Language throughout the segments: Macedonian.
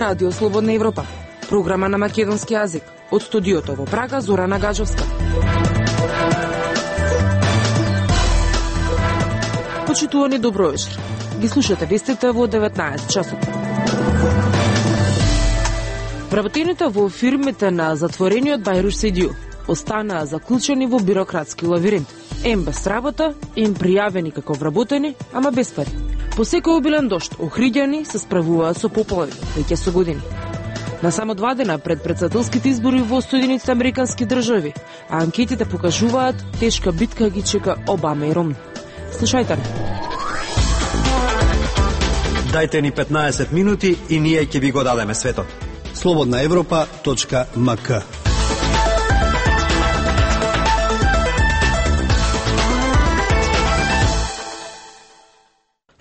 Радио Слободна Европа, програма на македонски јазик. Од студиото во Прага, Зорана Гаджовска. Почитувани, добро вечер. Ги слушате вестите во 19 часот. Вработените во фирмите на затворениот Бајруш Сейдију останаа заклучени во бирократски лавиринт. Ем без работа, ем пријавени како вработени, ама без пари. По секој обилен дожд, охриѓани се справуваат со поплави, веќе со години. На само 2 дена пред претседателските избори во Соединетите Американски држави, а анкетите покажуваат тешка битка ги чека Обама и Ромни. Слушајте ни. Дајте ни 15 минути и ние ќе ви го дадеме светот. slobodnaevropa.mk.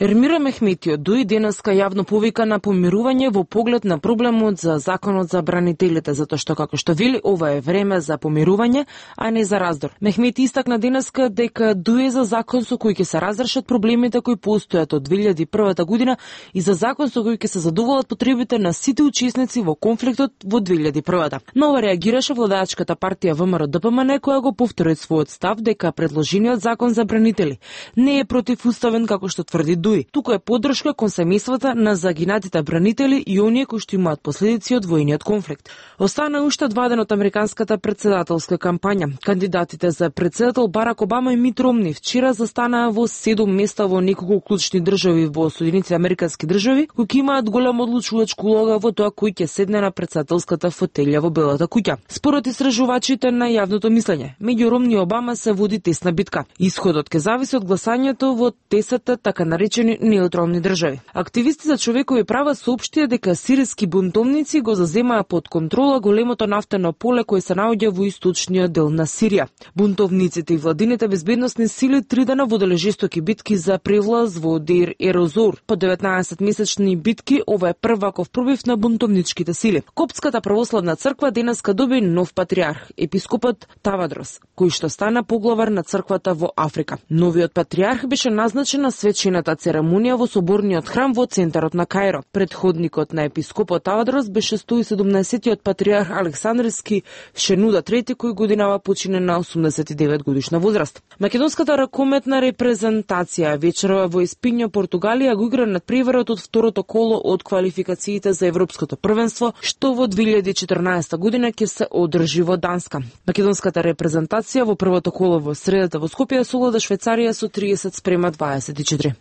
Ермира Мехметио дуи денеска јавно повика на помирување во поглед на проблемот за законот за бранителите, затоа што, како што вели, ова е време за помирување, а не за раздор. Мехмети истакна денеска дека дуе за закон со кој ќе се разрешат проблемите кои постојат од 2001 година и за закон со кој ќе се задоволат потребите на сите учесници во конфликтот во 2001. Но ова реагираше владаачката партија ВМРО-ДПМН, која го повтори својот став дека предложениот закон за бранители не е противуставен како што тврди Дуи. Туку е поддршка кон семејствата на загинатите бранители и оние кои што имаат последици од војниот конфликт. Остана уште 2 дена од американската претседателска кампања. Кандидатите за претседател Барак Обама и Мит Ромни вчера застанаа во 7 места во неколку клучни држави во Соединетите Американски држави, кои имаат голема одлучувачка улога во тоа кој ќе седне на претседателската фотелја во Белата куќа. Според истражувачите на јавното мислење, меѓу Ромни и Обама се води тесна битка. Исходот ќе зависи од гласањето во 10 така наречени неутрални држави. Активисти за човекови права соопштија дека сириски бунтовници го заземаа под контрола големото нафтено поле кое се наоѓа во источниот дел на Сирија. Бунтовниците и владините безбедносни сили 3 дена воделе жестоки битки за превлаз во Дейр Ер-Зор. По 19-месечни битки ова е прваков пробив на бунтовничките сили. Коптската православна црква денеска доби нов патриарх, епископот Тавадрос, кој што стана поглавар на црквата во Африка. Новиот патриарх беше назначен на свечената церемонија во соборниот храм во центарот на Кајро. Предходникот на епископот Тавадрос беше 117-тиот патриарх Александрски Шенуда III, кој годинава почине на 89 годишна возраст. Македонската ракометна репрезентација вечерва во Испињо, Португалија го игра надпреварот од второто коло од квалификациите за Европското првенство, што во 2014 година ќе се одржи во Данска. Македонската репрезентација во првото коло во средата во Скопје совлада Швајцарија со 30:24.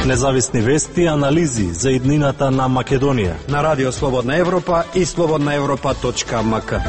Независни вести и анализи за иднината на Македонија на Радио Слободна Европа и slobodnaevropa.mk.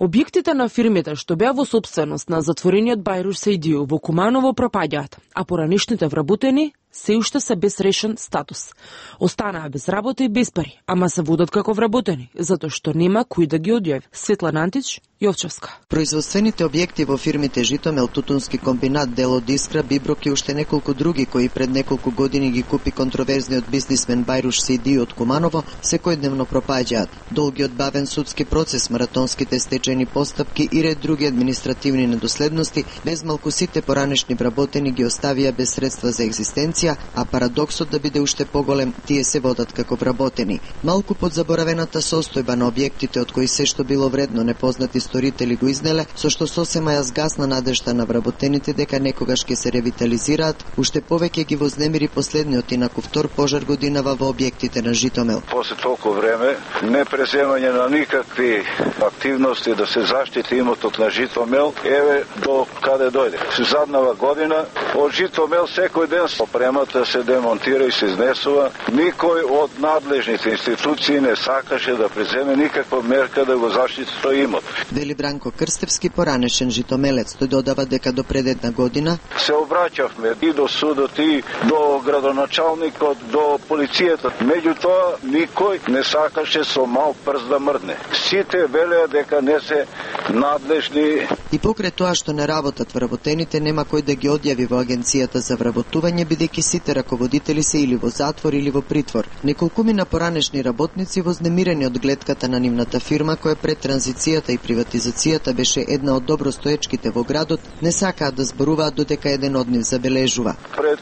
Објектите на фирмите што беа во собственост на затворениот Бајруш Сейдију во Куманово пропаѓаат, а поранешните вработени се уште се без решен статус. Останаа без работа и без пари, ама се водат како вработени, затоа што нема кој да ги одјави. Светлана Антич, Јовчевска. Производствените објекти во фирмите Житомел, Тутунски комбинат, Дело Дискра, Биброк и уште неколку други кои пред неколку години ги купи контроверзниот бизнисмен Бајруш Сейдију од Куманово, секојдневно пропаѓаат. Долгиот бавен судски процес, маратонските стечајни постапки и ред други административни недоследности, без малку сите поранешни вработени ги оставија без средства за екзистенција, а парадоксот да биде уште поголем, тие се водат како вработени. Малку под заборавената состојба на објектите од кои се што било вредно непознати сторители го изнеле, со што сосема ја згасна надежта на вработените дека некогаш ќе се ревитализираат, уште повеќе ги вознемири последниот инаку втор пожар годинава во објектите на Житомел. После толку време, не преземање на никакви активности да се заштити имотот на Житомел, еве до каде дојде. Заднава година од Житомел секој ден опремата се демонтира и се изнесува. Никој од надлежните институции не сакаше да преземе никаква мерка да го заштити тој имот. Вели Бранко Крстевски, поранешен житомелец. Тој додава дека до пред една година се обраќавме и до судот, и до градоначалникот, до полицијата. Меѓутоа, никој не сакаше со мал прст да мрдне. Сите велеа дека не се надлежни И покрај тоа што не работат вработените, нема кој да ги одјави во агенцијата за вработување, бидејќи сите раководители се или во затвор или во притвор. Неколкумина поранешни работници вознемирени од гледката на нивната фирма, која пред транзицијата и приватизацијата беше една од добростоечките во градот, не сакаат да зборуваат додека еден од нив забележува. Пред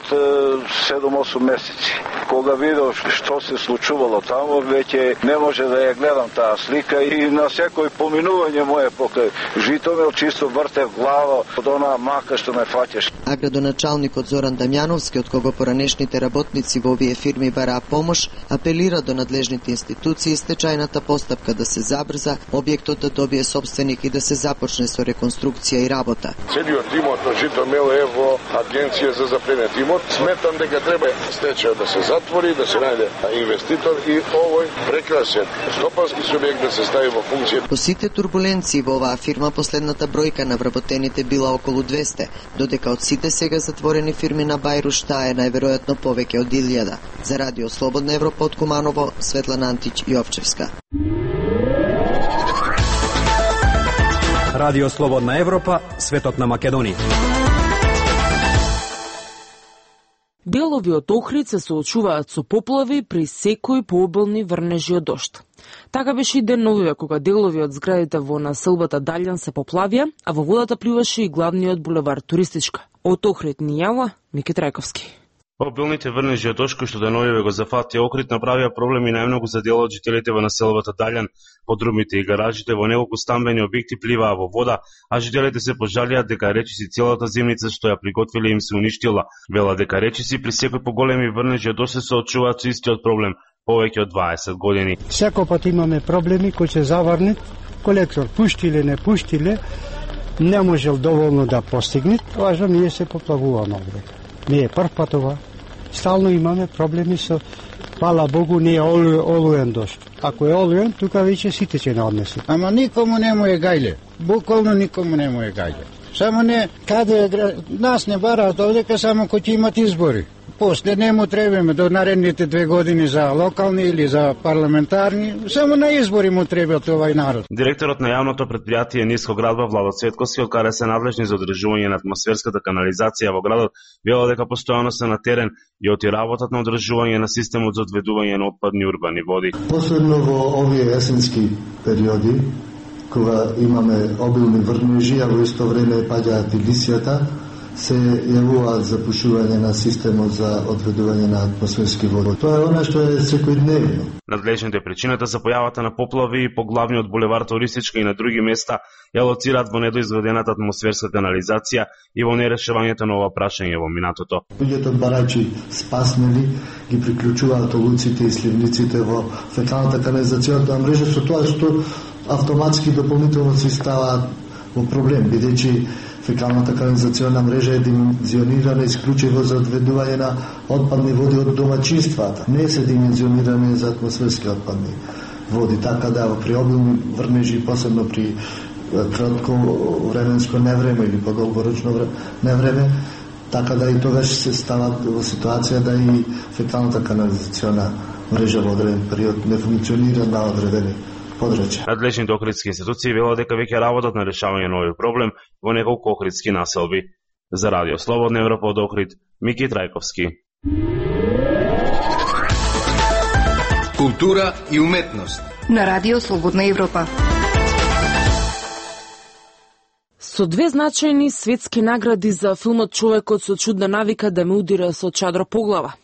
7-8 месеци, кога видов што се случувало таму, веќе не може да ја гледам таа слика и на секој поминување мое покрај Житомел чисто вртев глава од онаа мака што ме фаќаш. А градоначалникот Зоран Дамјановски, од кого поранешните работници во овие фирми бараа помош, апелира до надлежните институции стечајната постапка да се забрза, објектот да добие собственик и да се започне со реконструкција и работа. Целиот имот на Житомел е во агенција за запленет имот. Сметам дека треба стечајот да се затвори, да се најде инвеститор и овој прекрасен стопански субјект да се стави во функција. По сите турбуленции во оваа фирма, последната бројка на вработените била околу 200, додека од сите сега затворени фирми на Бајруш таа е најверојатно повеќе од 1000. За Радио Слободна Европа од Куманово, Светлана Антич Јовчевска. Радио Слободна Европа, светот на Македонија. Делови од Охрид се соочуваат со поплави при секој пообилни врнежи од дожд. Така беше и деновиве кога делови од зградите во населбата Далјан се поплавија, а во водата плюваше и главниот булевар Туристичка. Од Охрид ни јава Мики Трајковски. Обилните врнежи од дожд кои што деновиве го зафатија Охрид направија проблеми најмногу за дел од жителите во населбата Далјан. Подрумите и гаражите во неколку стамбени објекти пливаа во вода, а жителите се пожалија дека речиси целата зимница што ја приготвиле им се уништила. Вела дека речиси при секој поголеми врнежи од дожд се соочуваат со истиот проблем повеќе од 20 години. Секој пат имаме проблеми кои се заврнат, колектор пуштиле, не пуштиле, не можел доволно да постигне, важно ние се поплавуваме овде. Не е прв пат ова. Стално имаме проблеми со, фала Богу, не е олуен дожд. Ако е олуен, тука веќе сите ќе не однесат. Ама никому не му е гајле. Буквално никому не му е гајле. Само не, каде нас не бараат овдека само кој ќе имат избори. После не му требаме до наредните 2 години за локални или за парламентарни, само на избори му требат овај народ. Директорот на јавното предпријатие Ниско градба Владо Цветковски, од каде се надлежни за одржување на атмосферската канализација во градот, вела дека постојано се на терен и оти работат на одржување на системот за одведување на отпадни урбани води. Посебно во овие есенски периоди, кога имаме обилни врнежи, а во исто време паѓаат и лисијата, се јавуваат запушување на системот за одведување на атмосферски води. Тоа е она што е секојдневно. Надлежните причината за појавата на поплави по главниот булевар Туристичка и на други места ја лоцираат во недоизградената атмосферска канализација и во нерешавањето на ова прашање во минатото. Луѓето барачи спаснели ги приклучуваат олуците и сливниците во фекалната канализацијната мрежа, со тоа што автоматски дополнително се ставаат во проблем, бидејќи фекалната канализациона мрежа е димензионирана исклучиво за одведување на отпадни води од домаќинствата. Не се димензионирани за атмосферски отпадни води, така да при обилни врнежи, посебно при кратко временско невреме или подолгорочно невреме, така да и тогаш се стават во ситуација да и фекалната канализациона мрежа во одреден период не функционира на одредени подрачја. Надлежните охридски институции велат дека веќе работат на решавање на овој проблем во неколку охридски населби. За Радио Слободна Европа од Охрид, Мики Трајковски. Култура и уметност на Радио Слободна Европа. Со 2 значајни светски награди за филмот Човекот со чудна навика да ме удира со чадро по глава.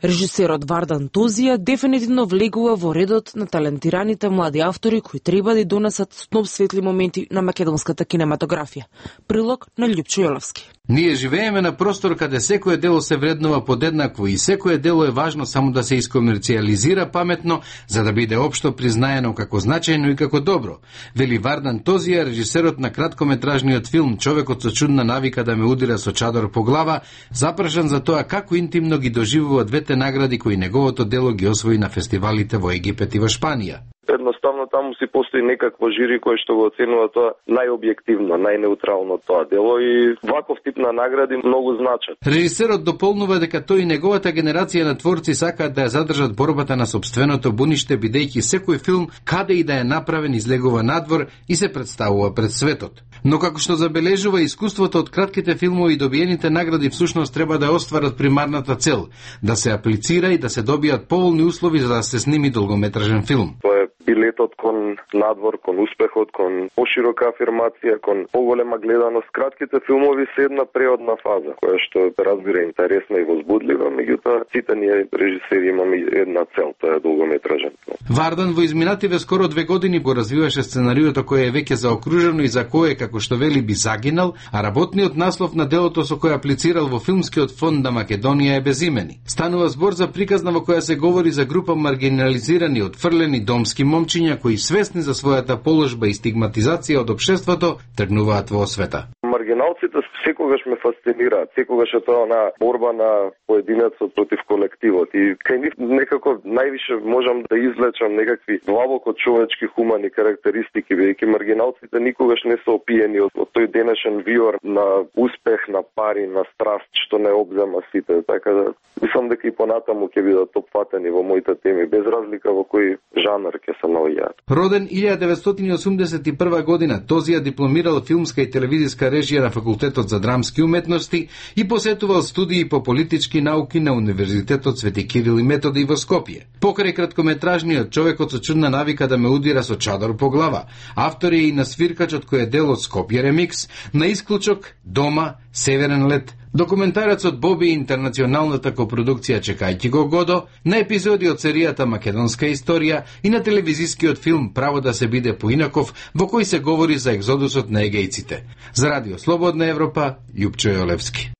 Режисерот Вардан Тозија дефинитивно влегува во редот на талентираните млади автори кои треба да донесат сноп светли моменти на македонската кинематографија. Прилог на Љупчо Јоловски. Ние живееме на простор каде секое дело се вреднува подеднакво и секое дело е важно само да се искомерцијализира паметно за да биде општо признаено како значајно и како добро. Вели Вардан Тозија, режисерот на краткометражниот филм Човекот со чудна навика да ме удира со чадор по глава, запрашан за тоа како интимно ги доживува двете награди кои неговото дело ги освои на фестивалите во Египет и во Шпанија. едноставно таму си постои некакво жири кој што го оценува тоа најобјективно, најнеутрално тоа дело и ваков тип на награди многу значат. Режисерот дополнува дека тој и неговата генерација на творци сакаат да ја задржат борбата на сопственото буниште, бидејќи секој филм каде и да е направен излегува надвор и се представува пред светот. Но како што забележува искуството од кратките филмови, добиените награди всушност треба да остварат примарната цел, да се аплицира и да се добијат поволни услови за да се сними долгометражен филм. Тоа е билетот кон надвор, кон успехот, кон поширока афирмација, кон поголема гледаност. Кратките филмови се една преодна фаза, која што разбира интересна и возбудлива, меѓутоа сите ние режисери имаме една цел, тоа е долгометражен филм. Вардан во изминативе скоро 2 години го развиваше сценариото кое е веќе заокружено и за кое, како што вели, би загинал, а работниот наслов на делото со кој аплицирал во филмскиот фонд на Македонија е безимени. Станува збор за приказна во која се говори за група маргинализирани, отфрлени домски момчиња кои свесни за својата положба и стигматизација од општеството тргнуваат во освета. Маргиналците секогаш ме фасцинираат, секогаш е тоа на борба на поединецот против колективот и кај нив некако највише можам да извлечам некакви длабоко човечки хумани карактеристики, бидејќи маргиналците никогаш не се опиени од тој денешен виор на успех, на пари, на страст што не обзема сите, така да мислам дека и понатаму ќе бидат опфатени во моите теми, без разлика во кој жанр ќе се наоѓаат. Роден 1981 година, Тозија дипломирал филмска и телевизиска режија на Факултетот за драмски уметности и посетувал студии по политички науки на Универзитетот Свети Кирил и Методи во Скопје. Покрај краткометражниот Човекот со чудна навика да ме удира со чадор по глава, автор е и на Свиркачот кој е дел од Скопје ремикс, на Исклучок, Дома, Северен лет, документарецот Боби и интернационалната копродукција Чекајќи го Годо, на епизоди од серијата Македонска историја и на телевизискиот филм Право да се биде поинаков, во кој се говори за екзодусот на егејците. За Радио Слободна Европа, Јупчо Јолевски.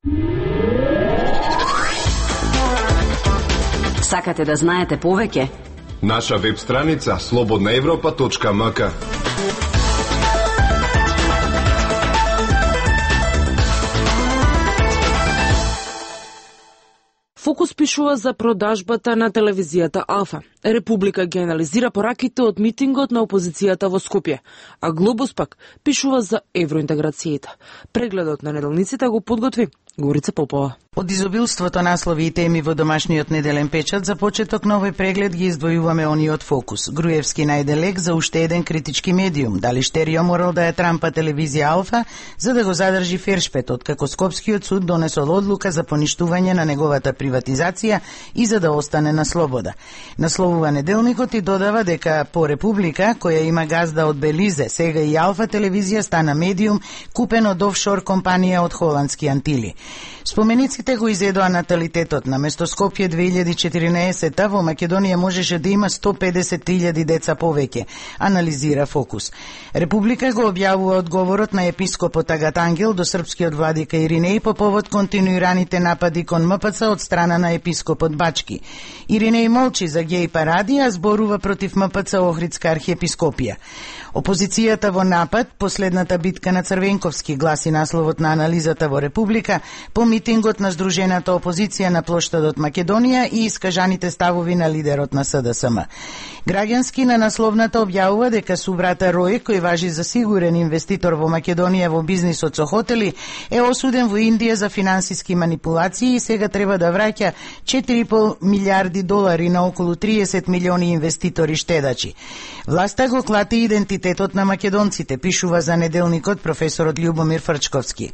Сакате да знаете повеќе? Наша веб страница slobodnaevropa.mk. Фокус пишува за продажбата на телевизијата Алфа. Република ги анализира пораките од митингот на опозицијата во Скопје, а Глобус пак пишува за евроинтеграцијата. Прегледот на неделниците го подготви Горица Попова. Од изобилството наслови и теми во домашниот неделен печат, за почеток на овој преглед ги издвојуваме ониот фокус. Груевски најде лек за уште еден критички медиум. Дали Штерио морал да ја трампа телевизија Алфа за да го задржи Фершпет, откако Скопскиот суд донесол одлука за поништување на неговата приватизација и за да остане на слобода. Насловува неделникот и додава дека по Република, која има газда од Белизе, сега и Алфа телевизија стана медиум купен од офшор компанија од холандски Антили. Спомениците го изедоа наталитетот. Наместо Скопје 2014 во Македонија можеше да има 150.000 деца повеќе, анализира Фокус. Република го објавува одговорот на епископот Агат Ангел до српскиот владика Иринеј по повод континуираните напади кон МПЦ од страна на епископот Бачки. Иринеј молчи за геј паради, а зборува против МПЦ Охридска архиепископија. Опозицијата во напад, последната битка на Црвенковски, гласи насловот на анализата во Република, по митингот на Сдружената опозиција на плоштадот Македонија и искажаните ставови на лидерот на СДСМ. Граѓански на насловната објавува дека субрата Рој, кој важи за сигурен инвеститор во Македонија во бизнисот со хотели, е осуден во Индија за финансиски манипулации и сега треба да враќа 4,5 милиарди долари на околу 30 милиони инвеститори штедачи. Власта го клати идентитетот на македонците, пишува за неделникот професорот Љубомир Фрчковски.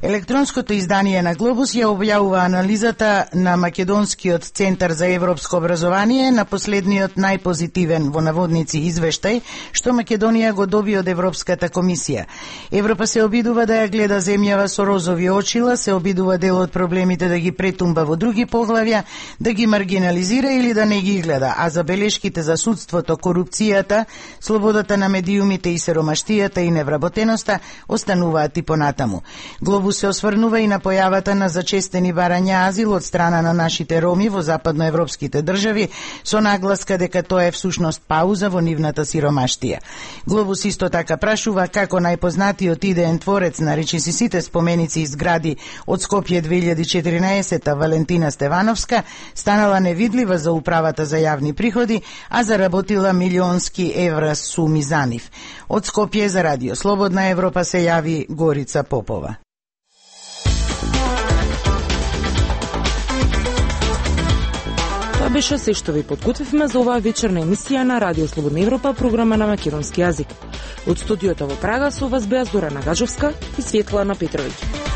Електронското издание на Глобус ја објавува анализата на Македонскиот центар за европско образование на последниот најпозитивен во наводници извештај што Македонија го доби од Европската комисија. Европа се обидува да ја гледа земјава со розови очила, се обидува дел од проблемите да ги претумба во други поглавја, да ги маргинализира или да не ги гледа, а забелешките за судството, корупцијата, слободата на медиумите и сиромаштијата и невработеноста остануваат и понатаму. Глобус Глобус се осврнува и на појавата на зачестени барања азил од страна на нашите роми во западноевропските држави, со нагласка дека тоа е всушност пауза во нивната сиромаштија. Глобус исто така прашува како најпознатиот идеен творец на речиси сите споменици и згради од Скопје 2014 Валентина Стевановска станала невидлива за управата за јавни приходи, а заработила милионски евра суми за нив. Од Скопје за Радио Слободна Европа се јави Горица Попова. Тоа беше се што ви подготвивме за оваа вечерна емисија на Радио Слободна Европа, програма на македонски јазик. Од студиото во Прага со вас беа Зорана Гаджовска и Светлана Петровиќ.